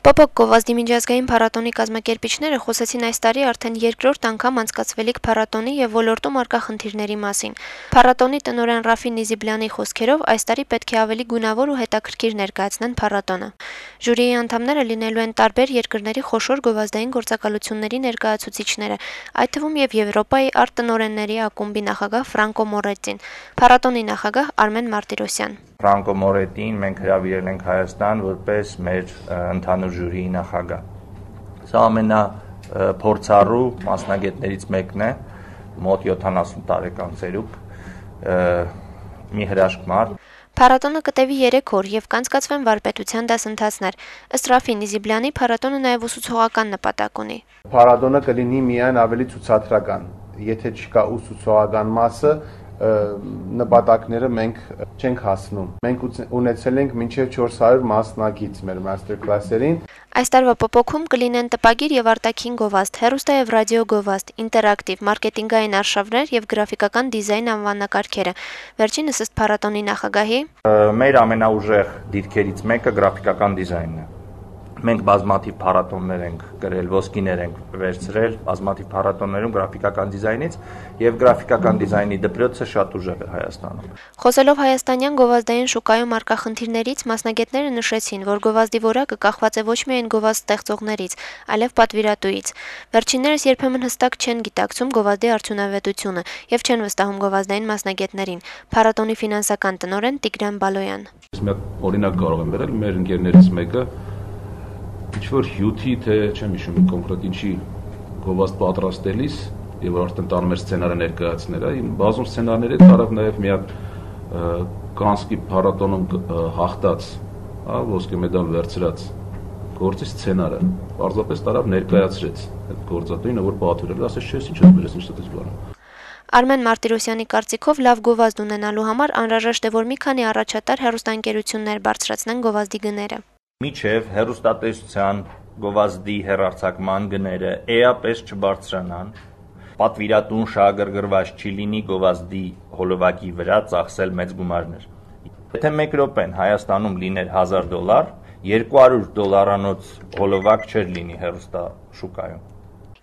Պապոկ գովազդի միջազգային փառատոնի կազմակերպիչները խոսեցին այս տարի արդեն երկրորդ անգամ անցկացվելիք փառատոնի եւ ոլորտում առկա խնդիրների մասին։ Փառատոնի տնօրեն Ռաֆին Նիզիբլյանի խոսքերով այս տարի պետք է ավելի գունավոր ու հետաքրքիր ներկայացնեն փառատոնը։ Ժյուրիի անդամները լինելու են տարբեր երկրների խոշոր գովազդային գործակալությունների ներկայացուցիչները, այդ թվում եւ Եվրոպայի արտ-տնօրենների ակումբի նախագահ Ֆրանկո Մորետին, փառատոնի նախագահ Արմեն Մարտիրոսյան։ Ֆրանկո Մորետին մենք հրավիրել ենք Հայաստան որպես մեր ընդհանուր ժյուրիի նախագահ։ Սա ամենափորձառու մասնագետներից մեկն է, մոտ 70 տարեկան ծերուկ, մի հրաշք մարդ։ Փառատոնը կտևի 3 օր եւ կանցկացվեն վարպետության դասընթացներ։ Ըստ Ռաֆի Նիզիբլյանի փառատոնը նաեւ ուսուցողական նպատակ ունի։ Փառատոնը կլինի միայն ավելի ցուցադրական, եթե չկա ուսուցողական մասը, նպատակները մենք չենք հասնում։ Մենք ունեցել ենք մինչև 400 մասնակից մեր master class-երին։ Այս տարվա պոպոքում կլինեն տպագիր եւ արտաքին գովազդ, հեռուստա եւ ռադիո գովազդ, ինտերակտիվ, մարքեթինգային արշավներ եւ գրաֆիկական դիզայն անվանակարգերը։ Վերջինս ըստ փառատոնի նախագահի մեր ամենաուժեղ դիրքերից մեկը գրաֆիկական դիզայնն է։ Մենք բազմաթիվ փառատոններ ենք գրել, ոսկիներ ենք վերցրել բազմաթիվ փառատոններում գրաֆիկական դիզայնից եւ գրաֆիկական դիզայնի դպրոցը շատ ուժեղ է Հայաստանում։ Խոսելով հայաստանյան գովազդային շուկայում առկա խնդիրներից, մասնագետները նշեցին, որ գովազդի որակը կախված է ոչ միայն գովազդ ստեղծողներից, այլև պատվիրատուից։ Վերջիններս երբեմն հստակ չեն գիտակցում գովազդի արդյունավետությունը եւ չեն վստահում գովազդային մասնագետներին։ Փառատոնի ֆինանսական տնօրեն Տիգրան Բալոյան։ Ես մի օրինակ կարող եմ վերել մեր ընկերներից մեկը ինչ-որ հյութի, թե չեմ հիշում կոնկրետ ինչի գովազդ պատրաստելիս եւ արդեն տանում էր սցենարը ներկայացնել, բազում սցենարների տարավ նաեւ մի հատ Կանսկի փառատոնում հաղթած, ոսկե մեդալ վերցրած գործի սցենարը, պարզապես տարավ ներկայացրեց այդ գործատուին, որ պատվիրել, ասես չէ, ինչ ես բերես, ինչ դες բանը։ Արմեն Մարտիրոսյանի կարծիքով լավ գովազդ ունենալու համար անհրաժեշտ է, որ մի քանի առաջատար հեռուստաընկերություններ բարձրացնեն գովազդի գները։ Միջև հեռուստատեսության գովազդի հեռարձակման գները էապես չբարձրանան, պատվիրատուն շահագրգռված չի լինի գովազդի հոլովակի վրա ծախսել մեծ գումարներ։ Եթե 1 րոպեն Հայաստանում լիներ $1000, $200 հոլովակ չէր լինի հեռուստաշուկայում։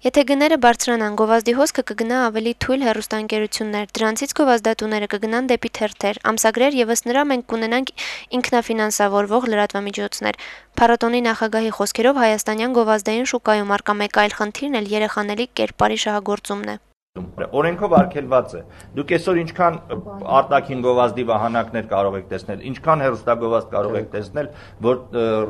Եթե գները բարձրանան, գովազդի հոսքը կգնա ավելի թույլ հեռուստաընկերություններ, դրանցից գովազդատուները կգնան դեպի թերթեր, ամսագրեր եւ ըստ նրա մենք կունենանք ինքնաֆինանսավորվող լրատվամիջոցներ։ Փառատոնի նախագահի խոսքերով հայաստանյան գովազդային շուկայում առկա մեկ այլ խնդիրն էլ երեխաների կերպարի շահագործումն է։ Օրենքով արգելված է։ Դուք այսօր ինչքան արտաքին գովազդի վահանակներ կարող եք տեսնել, ինչքան հեռուստագովազդ կարող եք տեսնել, որ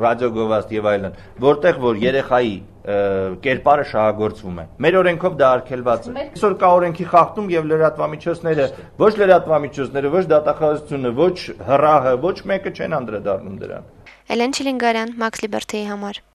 ռադիոգովազդ եւ այլն, որտեղ որ երեխայի կերպարը շահագործվում է։ Մեր օրենքով դա արգելված է։ Այսօր կա օրենքի խախտում եւ լրատվամիջոցները, ոչ լրատվամիջոցները, ոչ դատախազությունը, ոչ ՀՌԱՀ-ը, ոչ մեկը չեն անդրադառնում դրան։ Էլեն Չիլինգարյան, Մաքս Լիբերթիի համար։